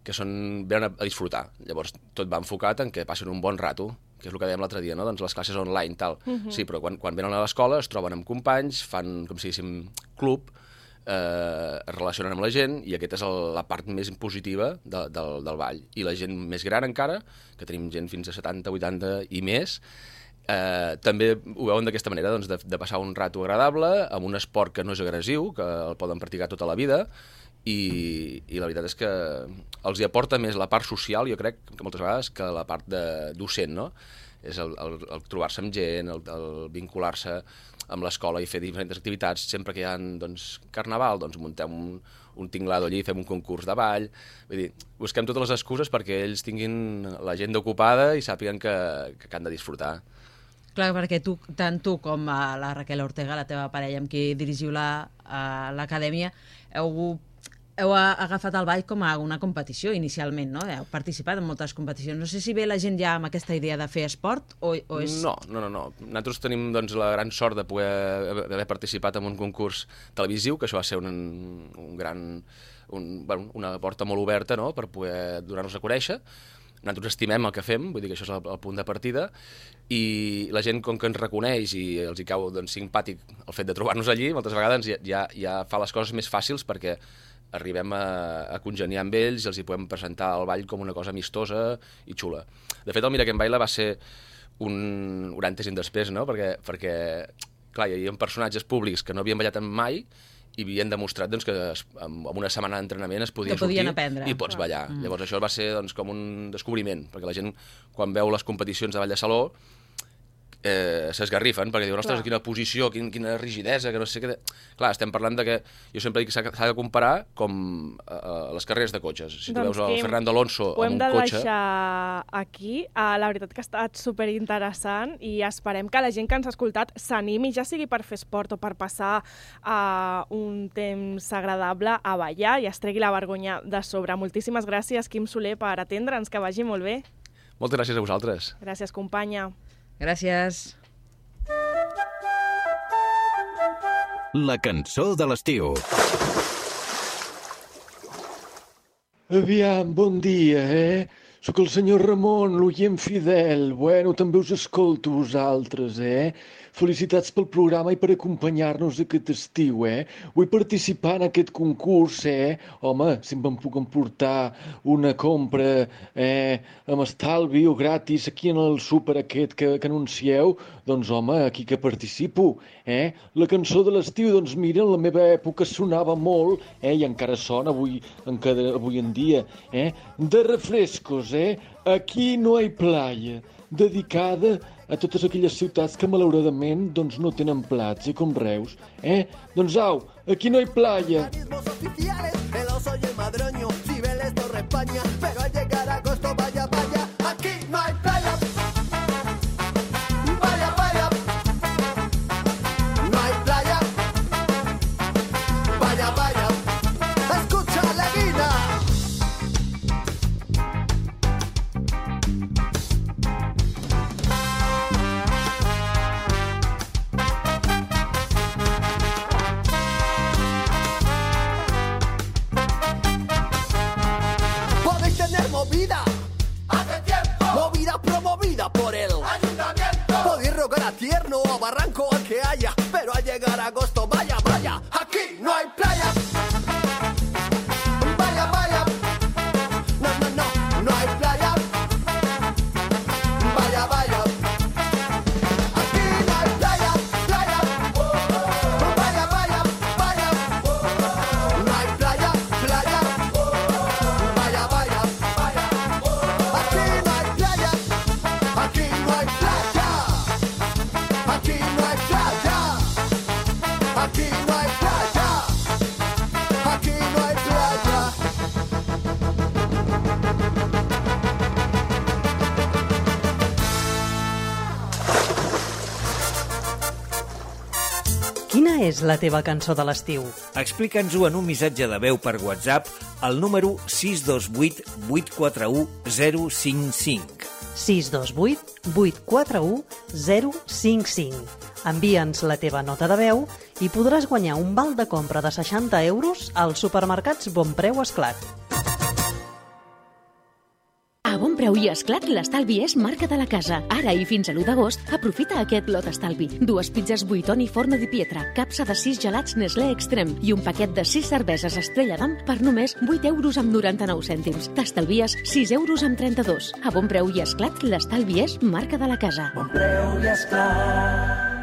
que venen a disfrutar. Llavors tot va enfocat en que passen un bon rato, que és el que dèiem l'altre dia, no? Doncs les classes online, tal. Sí, però quan venen a l'escola es troben amb companys, fan, com si diguéssim, club, es relacionen amb la gent, i aquesta és la part més positiva del ball. I la gent més gran encara, que tenim gent fins a 70, 80 i més, també ho veuen d'aquesta manera, doncs, de passar un rato agradable amb un esport que no és agressiu, que el poden practicar tota la vida, i la veritat és que els hi aporta més la part social, jo crec, que moltes vegades, que la part de docent, no? És el trobar-se amb gent, el vincular-se amb l'escola i fer diferents activitats. Sempre que hi ha carnaval, doncs muntem un tinglado allí, fem un concurs de ball. Vull dir, busquem totes les excuses perquè ells tinguin l'agenda ocupada i sàpiguen que han de disfrutar. Clar, perquè tant tu com la Raquel Ortega, la teva parella amb qui dirigiu l'acadèmia, heu agafat el ball com a una competició inicialment, no? Heu participat en moltes competicions. No sé si ve la gent ja amb aquesta idea de fer esport o és... No. Nosaltres tenim la gran sort de poder haver participat en un concurs televisiu, que això va ser un gran una porta molt oberta, no?, per poder donar-nos a conèixer. Nosaltres estimem el que fem, vull dir que això és el punt de partida, i la gent, com que ens reconeix i els hi cau simpàtic el fet de trobar-nos allí, moltes vegades ja fa les coses més fàcils perquè arribem a congeniar amb ells i els hi podem presentar el ball com una cosa amistosa i xula. De fet, el Mira Quem Baila va ser un antes i un després, no?, perquè clar, hi havia personatges públics que no havien ballat mai i havien demostrat que amb una setmana d'entrenament es podia sortir i pots ballar. Llavors això va ser com un descobriment, perquè la gent, quan veu les competicions de ball de saló, s'esgarrifen, perquè diuen, ostres, quina posició, quina rigidesa, que no sé què... Clar, estem parlant de que... Jo sempre dic que s'ha de comparar com les carreres de cotxes. Si tu veus el Fernando Alonso amb un cotxe... Ho hem de deixar aquí. La veritat que ha estat superinteressant i esperem que la gent que ens ha escoltat s'animi, ja sigui per fer esport o per passar un temps agradable a ballar i es tregui la vergonya de sobre. Moltíssimes gràcies, Quim Soler, per atendre'ns, que vagi molt bé. Moltes gràcies a vosaltres. Gràcies, companya. Gràcies. La cançó de l'estiu. Aviam, bon dia, Soc el senyor Ramon, l'oient fidel. Bueno, també us escolto vosaltres, Felicitats pel programa i per acompanyar-nos aquest estiu, Vull participar en aquest concurs, Home, si em puc emportar una compra amb estalvi o gratis aquí en el súper aquest que anuncieu, doncs, home, aquí que participo, La cançó de l'estiu, doncs, mira, en la meva època sonava molt, i encara sona avui en dia, de refrescos, Aquí no hay playa, dedicada a totes aquelles ciutats que malauradament doncs, no tenen plats, com Reus. Doncs au, aquí no hay playa. El oso y el madroño, Cibeles, Torre España, pero al llegar a agosto, vaya, vaya, aquí no hay playa. Vaya, vaya, no hay playa. Vaya, vaya, escucha la guina. Movida, hace tiempo, movida promovida por el ayuntamiento. Podéis rogar a Tierno o a Barranco al que haya, pero al llegar a agosto, vaya, vaya, aquí no hay playa. Vaya, vaya, no hay playa. Vaya, vaya, aquí no hay playa, playa. Vaya, vaya, vaya, no hay playa, playa. Vaya, vaya. Aquí no hay playa, aquí no hay playa, aquí no hay playa, aquí no hay playa, aquí no hay playa. Quina és la teva cançó de l'estiu? Explica'ns-ho en un missatge de veu per WhatsApp al número 628 841 055. 628 841 055. Envia'ns la teva nota de veu i podràs guanyar un val de compra de 60 euros als supermercats Bonpreu Esclat. A Bonpreu i Esclat, l'estalvi és marca de la casa. Ara i fins a l'1 d'agost, aprofita aquest lot estalvi. 2 pizzas Buitoni Forno di Pietra, capsa de 6 gelats Nestlé Extrem i un paquet de 6 cerveses Estrella d'Am per només 8 euros amb 99 cèntims. T'estalvies 6 euros amb 32. A Bonpreu i Esclat, l'estalvi és marca de la casa. Bonpreu i Esclat.